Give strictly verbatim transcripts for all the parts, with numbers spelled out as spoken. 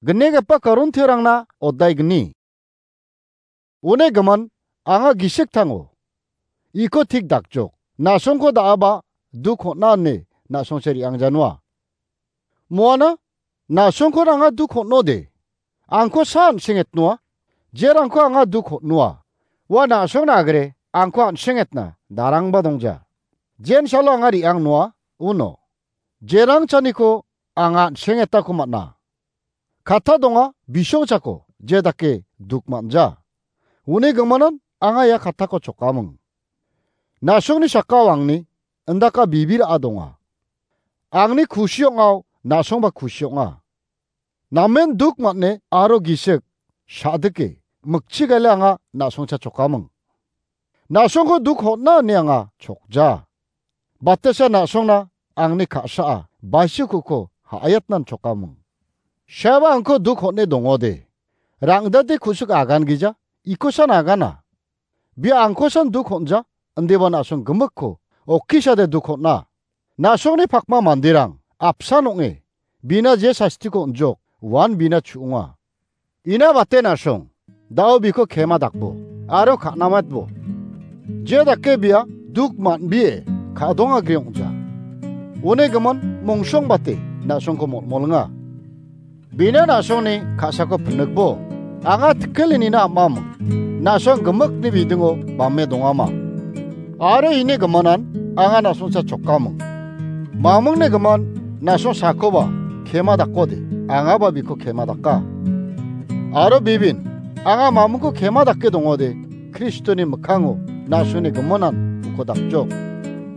Gnigipa Korintiarangna odaigni. Une gimin, anga gisik tango. Iko tik dakjok. Na·songko da·aba duk hon·na ine na·songchi re·angjanua. Moana, na·songko anga duk hon·ode. Angko sa an·sengetnoa. Jerangko anga duk hon·noa. Ua na·songna agre angko an·sengetna darangba dongja. Jensalo anga re·angnoa, uno. Jerang chaniko anga an·sengetako man·a. Katta donga, bisongchako je dake duk man·ja. Uni gimin anga ia kattako chokaming. Na·songni sakao angni indaka bibir a donga. Angni kusi ong·ao na·songba kusi ong·a. Namen duk man·e aro gisik, sa·dike, mikchi gaile anga na·songcha chokaming. Na·songko duk hon·na ine anga chokja. Batesa na·songna angni ka·saa baisikuko ha·ayatnan chokaming. Seba angko duk hon·e dongode. Rangdate kusik agan gija, ikosan agana. Bia angkosan duk hon·ja, indiba na·song gimikko, okisade duk hon·a. Na·songni pakma manderang, apsan ong·e, bina je sastiko on·jok, uan bina chu·onga. Ina bate na·song, da·o biko kema dakbo, aro ka·namatbo. Je dake bia duk man·bie ka·dongagri ong·ja. Uni gimin mongsong bate na·songko molmolinga. Bina na·songni ka·sako pinikbo, anga tikkelinina am·aming. Na·song gimikni bidingo bame dongama. Aro ini gimin anga na·songcha chokaming. Mamingni gimin na·song sakoba kema dakode, angaba biko kema daka. Aro bibin, anga mamingko kema dake dongode, Kristoni mikkango na·songni gimin uko dakjok.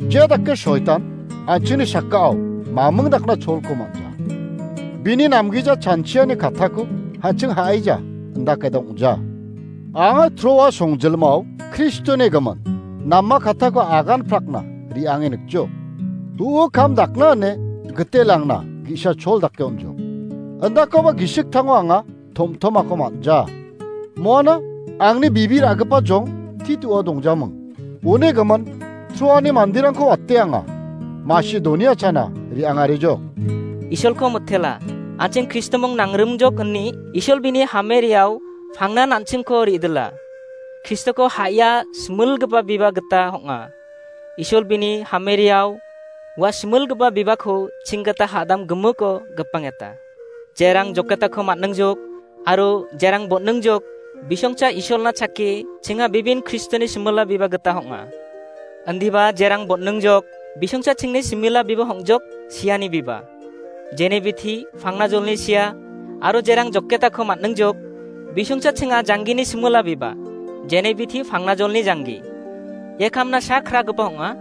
Je dake soitan, an·chingni sakao maming dakna cholko man·ja. Bini namgija chanchiani kattako an·ching ha·aija, indake dongja. Anga Troa songjilmao Kristoni gimin, nama kattako agan prakna re·ange nikjo. U·o kam dakna ine gitelangna ge·sa chol dake on·jok. Indakoba gisik tango anga tom·tomako man·ja. Moana angni bibir a·gipa jong Titoa dongjaming. Uni gimin, Troani manderangko wate anga Masedonia chana re·angarijok. Isolko mitela, an·ching Kristoming nangrimjok ine Isol bini hameriao pangnan an·chingko re·dila. Kristoko ha·ia similgipa biba gita ong·a. Isol bini hameriao ua similgipa bibako ching gita ha·dam gimiko gipangeta. Jerang joketako man·ningjok, aro jerang bon·ningjok, bisongcha Isolna chake, chinga bibin Kristoni simila biba gita ong·a. Indiba jerang bon·ningjok, bisongcha chingni simila biba ong·jok, siani biba. Jene bithi, pangna jolni sia, aro jerang joketako man·ningjok, bisongcha chinga janggini simila biba. Jene bithi, pangna jolni janggi. Ia kamna sa kragipa ong·a.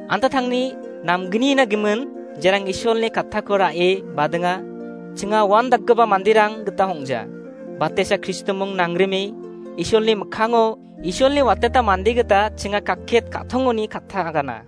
Anta tangni namgnina gimin, jerang Isolni kattako ra·e badinga, chinga uandakgipa manderang gita ong·ja. Batesa Kristoming nangrime, Isolni mikkango, Isolni wateta mande gita chinga kakket ka·tongoni katta agana.